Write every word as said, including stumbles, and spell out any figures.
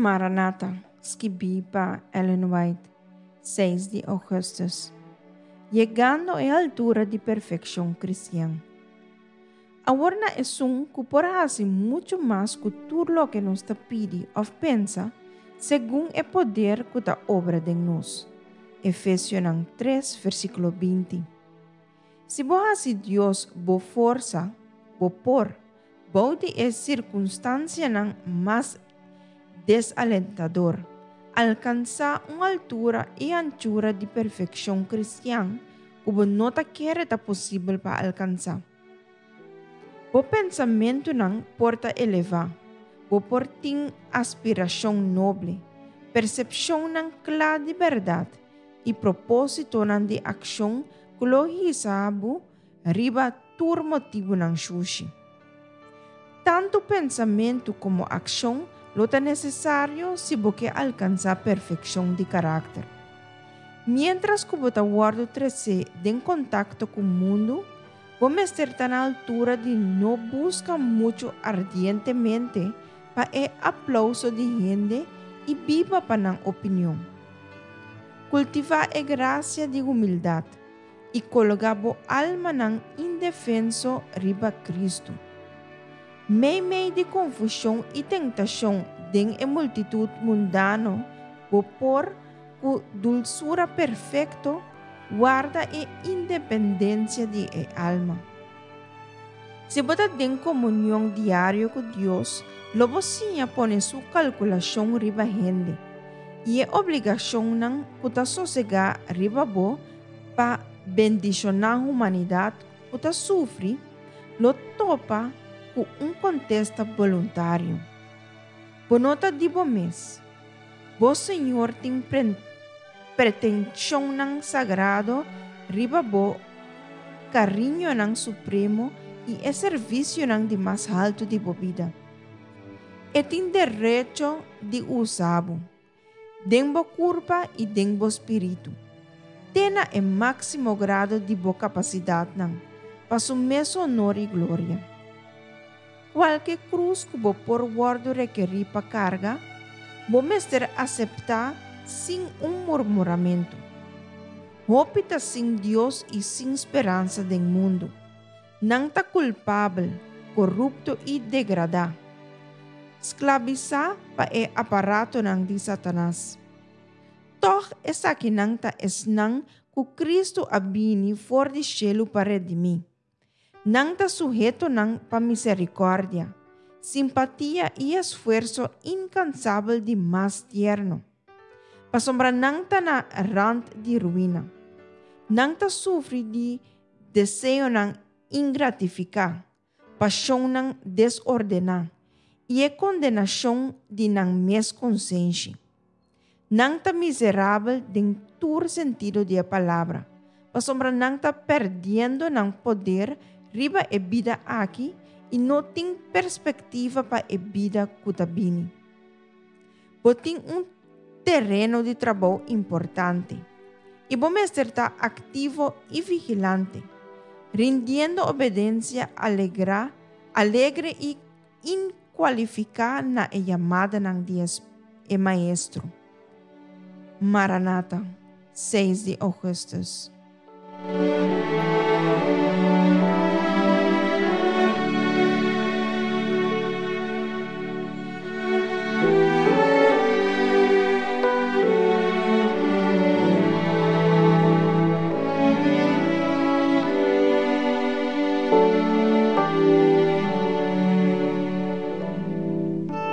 Maranata, skibí pa Ellen White, seis di ougùstùs. Yegando e altura di perfekshon kristian. Awor na esun ku por hasi muchu mas ku tur loke nos ta pidi òf pensa, segun e poder ku ta obra den nos. Efesionan tres, versíkulo binti. Si bo hasi Dios bo forsa, bo por, bou di e sirkunstansianan mas desalentador, alkansá un altura i anchura di perfekshon kristian ku bo no ta kere ta posibel pa alkansá. Bo pensamentunan por ta elevá, bo por tin aspirashon noble, persepshonnan kla di bèrdat i propósitonan di akshon ku lo hisa bo riba tur motibunan shushi. Tantu pensamentu komo akshon lo ta nesesario si bo ke alkansá perfekshon di karakter. Miéntras ku bo ta wòrdu tresé den kontakto ku mundu, bo mester ta na altura di no buska muchu ardientemente pa e aplouso di hende i biba pa nan opinion. Kultivá e grasia di humildat i kologá bo almanan indefenso riba Kristu. Meimei di konfushon i tentashon den e multitut mundano, bo por, ku dulsura perfekto, warda e independensia di e alma. Si bo ta den komunion diario ku Dios, lo bo siña pone su kalkulashon riba hende i e obligashonnan ku ta sosegá riba bo pa bendishoná humanidat ku ta sufri, lo topa ku un kontesta boluntario. Bo no ta di bo mes. Bo Señor tin pretenshonnan sagrado riba bo, kariñonan supremo i e servisionan di mas haltu di bo bida. E tin derecho di usa bo, den bo kurpa i den bo spiritu, te na e máksimo grado di bo kapasidatnan, pa su mes honor i gloria. Kualke krus ku bo por wòrdu rekerí pa karga, bo mester aseptá sin un murmuramentu. Hopi ta sin Dios i sin speransa den mundu. Nan ta kulpabel, korupto i degradá, sklabisá pa e aparatonan di Satanas. Tòg esakinan ta esnan ku Kristu a bini for di shelu pa redimí. Nan ta suhetonan pa miserikòrdia, simpatia i esfuerso inkansabel di mas tierno. Pasobra nan ta na rant di ruina. Nan ta sufri di deseonan ingratifiká, pashonnan desordená i e kondenashon di nan mes konsenshi. Nan ta miserabel den tur sentido di e palabra, pasobra nan ta pèrdiendo nan poder riba e bida aki i no tin perspektiva pa e bida ku ta bini. Bo tin un tereno di trabou importante i bo mester ta aktivo i vigilante, rindiendo obedensia alegra, alegre i inkualifiká na e yamadanan di e Maestro. Maranata, seis di ougùstùs.